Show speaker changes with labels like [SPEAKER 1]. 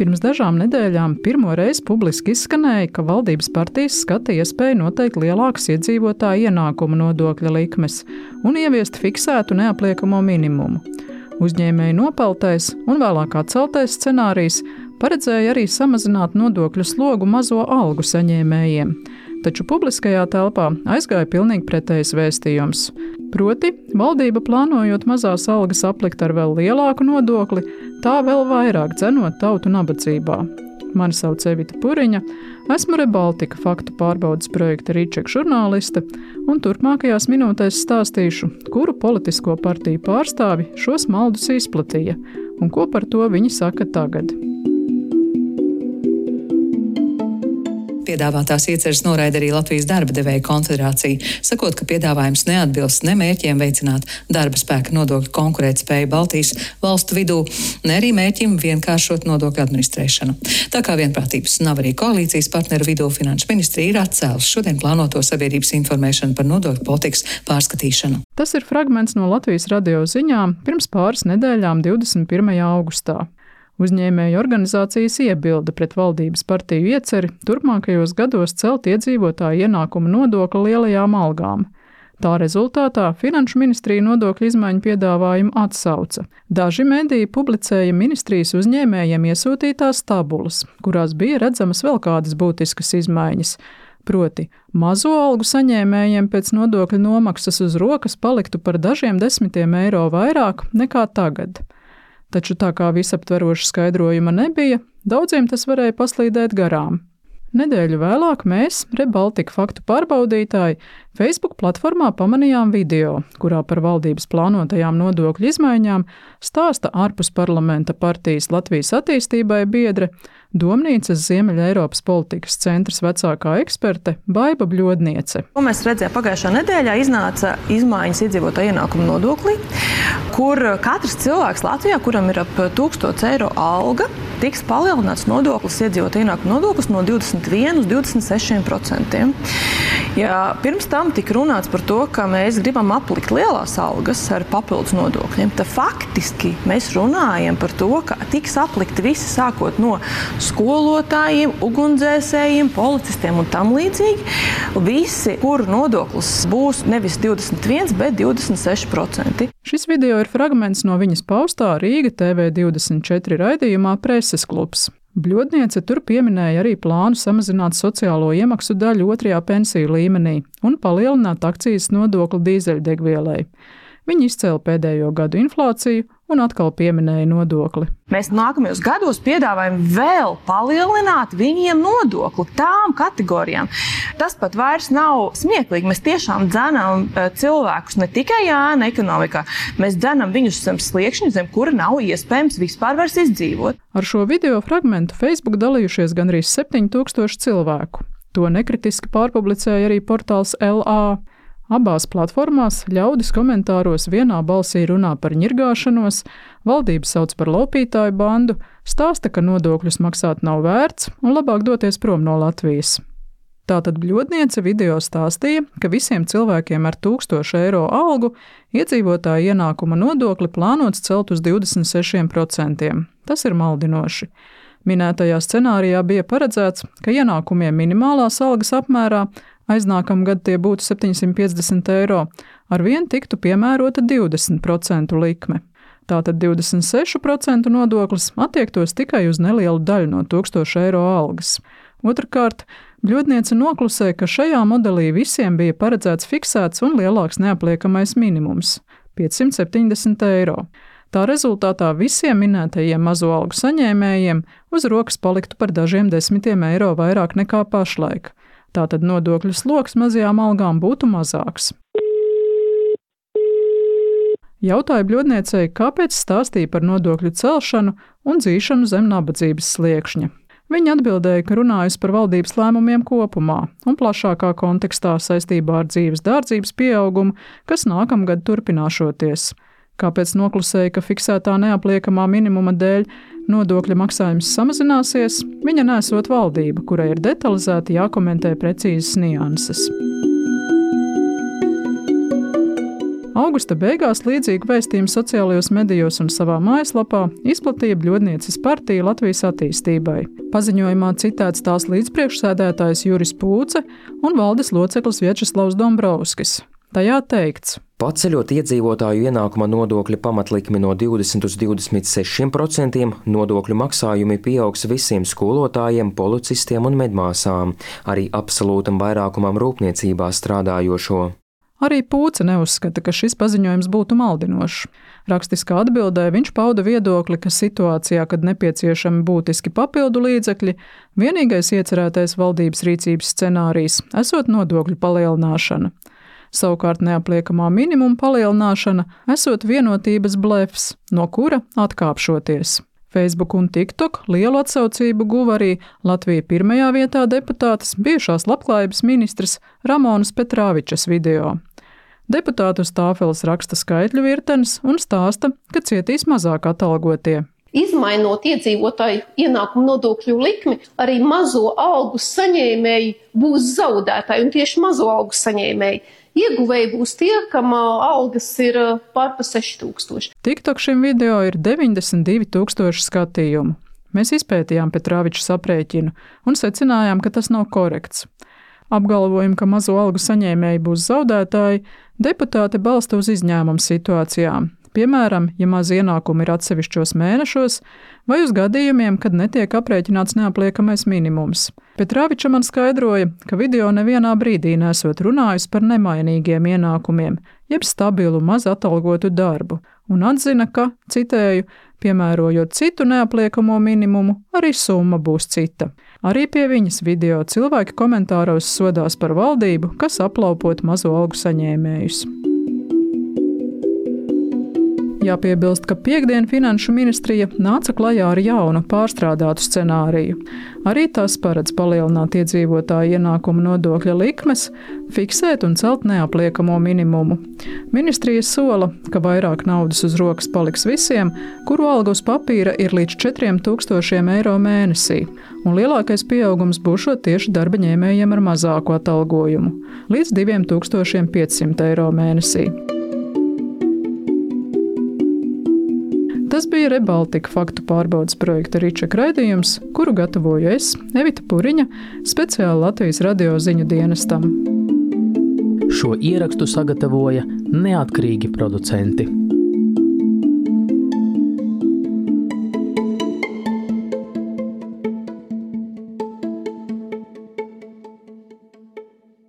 [SPEAKER 1] Pirms dažām nedēļām pirmo reizi publiski izskanēja, ka valdības partijas skata iespēju noteikt lielākas iedzīvotāju ienākumu nodokļa likmes un ieviest fiksētu neapliekamo minimumu. Uzņēmēju nopeltais un vēlāk atceltais scenārijs paredzēja arī samazināt nodokļu slogu mazo algu saņēmējiem, taču publiskajā telpā aizgāja pilnīgi pretējs vēstījums. Proti, valdība plānojot mazās algas aplikt ar vēl lielāku nodokli, tā vēl vairāk dzenot tautu nabadzībā. Mani sauc Evita Puriņa, esmu ReBaltica faktu pārbaudes projekta Rīčeka žurnāliste, un turpmākajās minūtēs stāstīšu, kuru politisko partiju pārstāvi šos maldus izplatīja un ko par to viņi saka tagad.
[SPEAKER 2] Piedāvātās ieceres noraida arī Latvijas darba devēju konfederācija, sakot, ka piedāvājums neatbilst ne mērķiem veicināt darba spēka nodokļu konkurētspēju Baltijas valstu vidū, ne arī mērķim vienkāršot nodokļu administrēšanu. Tā kā vienprātības nav arī koalīcijas partneru vidū, Finanšu ministrija ir atcēlusi šodien plānoto sabiedrības informēšanu par nodokļu politikas pārskatīšanu.
[SPEAKER 1] Tas ir fragments no Latvijas radio ziņām pirms pāris nedēļām 21. augustā. Uzņēmēju organizācijas iebilda pret valdības partiju ieceri turpmākajos gados celt iedzīvotāju ienākumu nodokli lielajām algām. Tā rezultātā Finanšu ministrija nodokļu izmaiņu piedāvājumu atsauca. Daži mediji publicēja ministrijas uzņēmējiem iesūtītās tabulas, kurās bija redzamas vēl kādas būtiskas izmaiņas. Proti, mazo algu saņēmējiem pēc nodokļu nomaksas uz rokas paliktu par dažiem desmitiem eiro vairāk nekā tagad. Taču tā kā visaptveroša skaidrojuma nebija, daudziem tas varēja paslīdēt garām. Nedēļu vēlāk mēs, ReBaltica faktu pārbaudītāji, Facebook platformā pamanījām video, kurā par valdības plānotajām nodokļu izmaiņām stāsta ārpus parlamenta partijas Latvijas attīstībai biedre, Domnīcas Ziemeļa Eiropas politikas centras vecākā eksperte Baiba Bļodniece.
[SPEAKER 3] Ko mēs redzējām pagājušā nedēļā, iznāca izmaiņas iedzīvotāju ienākumu nodoklī, kur katrs cilvēks Latvijā, kuram ir ap 1000 eiro alga, tiks palielināts nodoklis, iedzīvotāju ienākumu nodoklis no 21 uz 26%. Ja pirms tam tika runāts par to, ka mēs gribam aplikt lielās algas ar papildus nodokļiem, tad faktiski mēs runājam par to, ka tiks aplikti visi sākot no skolotājiem, ugunsdzēsējiem, policistiem un tam līdzīgi. Visi, kuru nodoklis būs nevis 21, bet 26%.
[SPEAKER 1] Šis video ir fragments no viņas paustā Rīga TV24 raidījumā Preses klubs. Bļodniece tur pieminēja arī plānu samazināt sociālo iemaksu daļu 2. pensiju līmenī un palielināt akcijas nodokli dīzeļdegvielai. Viņi izcēla pēdējo gadu inflāciju un atkal pieminēja nodokli.
[SPEAKER 3] Mēs nākamajos gados piedāvājam vēl palielināt viņiem nodokli tām kategorijām. Tas pat vairs nav smieklīgi. Mēs tiešām dzenam cilvēkus ne tikai ēna ekonomikā, mēs dzenam viņus zem sliekšņa, zem kura nav iespējams vispār vairs izdzīvot.
[SPEAKER 1] Ar šo video fragmentu Facebook dalījušies gandrīz 7000 cilvēku. To nekritiski pārpublicēja arī portāls LA. Abās platformās ļaudis komentāros vienā balsī runā par ņirgāšanos, valdība sauc par laupītāju bandu, stāsta, ka nodokļus maksāt nav vērts un labāk doties prom no Latvijas. Tātad Bļodniece video stāstīja, ka visiem cilvēkiem ar 1000 eiro algu iedzīvotāju ienākuma nodokli plānots celt uz 26%. Tas ir maldinoši. Minētajā scenārijā bija paredzēts, ka ienākumiem minimālās algas apmērā aiznākamgad tie būtu 750 eiro, ar vien tiktu piemērota 20% likme. Tātad 26% nodoklis attiektos tikai uz nelielu daļu no 1000 eiro algas. Otrakārt, Bļodniece noklusē, ka šajā modelī visiem bija paredzēts fiksēts un lielāks neapliekamais minimums – 570 eiro. Tā rezultātā visiem minētajiem mazo algu saņēmējiem uz rokas paliktu par dažiem desmitiem eiro vairāk nekā pašlaik. Tātad nodokļu sloks mazajām algām būtu mazāks. Jautāja Bļodniecei, kāpēc stāstīja par nodokļu celšanu un dzīšanu zem nabadzības sliekšņa. Viņa atbildēja, ka runājusi par valdības lēmumiem kopumā un plašākā kontekstā saistībā ar dzīves dārdzības pieaugumu, kas nākamgad turpināšoties. Kāpēc noklusēja, ka fiksētā neapliekamā minimuma dēļ nodokļa maksājums samazināsies, viņa nesot valdība, kurai ir detalizēti jākomentē precīzas nianses. Augusta beigās līdzīgu vēstījumu sociālajos medijos un savā mājaslapā izplatīja Bļodnieces partija Latvijas attīstībai. Paziņojumā citēts tās līdzpriekšsēdētājs Juris Pūce un valdes loceklis Vjačeslavs Dombrovskis. Tajā teikts:
[SPEAKER 4] paceļot iedzīvotāju ienākuma nodokļa pamatlikmi no 20 uz 26%, nodokļu maksājumi pieaugs visiem skolotājiem, policistiem un medmāsām, arī absolūtam vairākumam rūpniecībā strādājošo.
[SPEAKER 1] Arī Pūce neuzskata, ka šis paziņojums būtu maldinošs. Rakstiskā atbildē viņš pauda viedokli, ka situācijā, kad nepieciešami būtiski papildu līdzekļi, vienīgais iecerētais valdības rīcības scenārijs esot nodokļu palielināšana. Savukārt neapliekamā minimuma palielināšana esot vienotības blefs, no kura atkāpšoties. Facebook un TikTok lielu atsaucību guva arī Latvija pirmajā vietā deputātes bijušās labklājības ministres Ramonas Petrāvičas video. Deputāti uz tāfeles raksta skaitļu virtenes un stāsta, ka cietīs mazāk atalgotie.
[SPEAKER 5] Izmainot iedzīvotāju ienākumu nodokļu likmi, arī mazo algu saņēmēji būs zaudētāji, un tieši mazo algu saņēmēji. Ieguvēji būs tie, kam algas ir pār pa 6000.
[SPEAKER 1] TikTok šim video ir 92,000 skatījumu. Mēs izpētījām Petrāvičas aprēķinu un secinājām, ka tas nav korekts. Apgalvojumu, ka mazo algu saņēmēji būs zaudētāji, deputāti balsta uz izņēmumu situācijām. Piemēram, ja maz ienākumi ir atsevišķos mēnešos, vai uz gadījumiem, kad netiek aprēķināts neapliekamais minimums. Petrāviča man skaidroja, ka video nevienā brīdī nesot runājis par nemainīgiem ienākumiem, jeb stabilu maz atalgotu darbu, un atzina, ka, citēju, piemērojot citu neapliekamo minimumu, arī summa būs cita. Arī pie viņas video cilvēki komentāros sodās par valdību, kas aplaupot mazo algu saņēmējus. Jāpiebilst, ka piektdien Finanšu ministrija nāca klajā ar jaunu pārstrādātu scenāriju. Arī tas paredz palielināt iedzīvotāju ienākumu nodokļa likmes, fiksēt un celt neapliekamo minimumu. Ministrija sola, ka vairāk naudas uz rokas paliks visiem, kuru alga uz papīra ir līdz 4000 eiro mēnesī, un lielākais pieaugums būšot tieši darba ņēmējiem ar mazāku atalgojumu – līdz 2500 eiro mēnesī. Tas bija Rebaltika faktu pārbaudes projekta Ričeka raidījums, kuru gatavoju es, Evita Puriņa, speciāli Latvijas radio ziņu dienestam.
[SPEAKER 6] Šo ierakstu sagatavoja neatkarīgi producenti.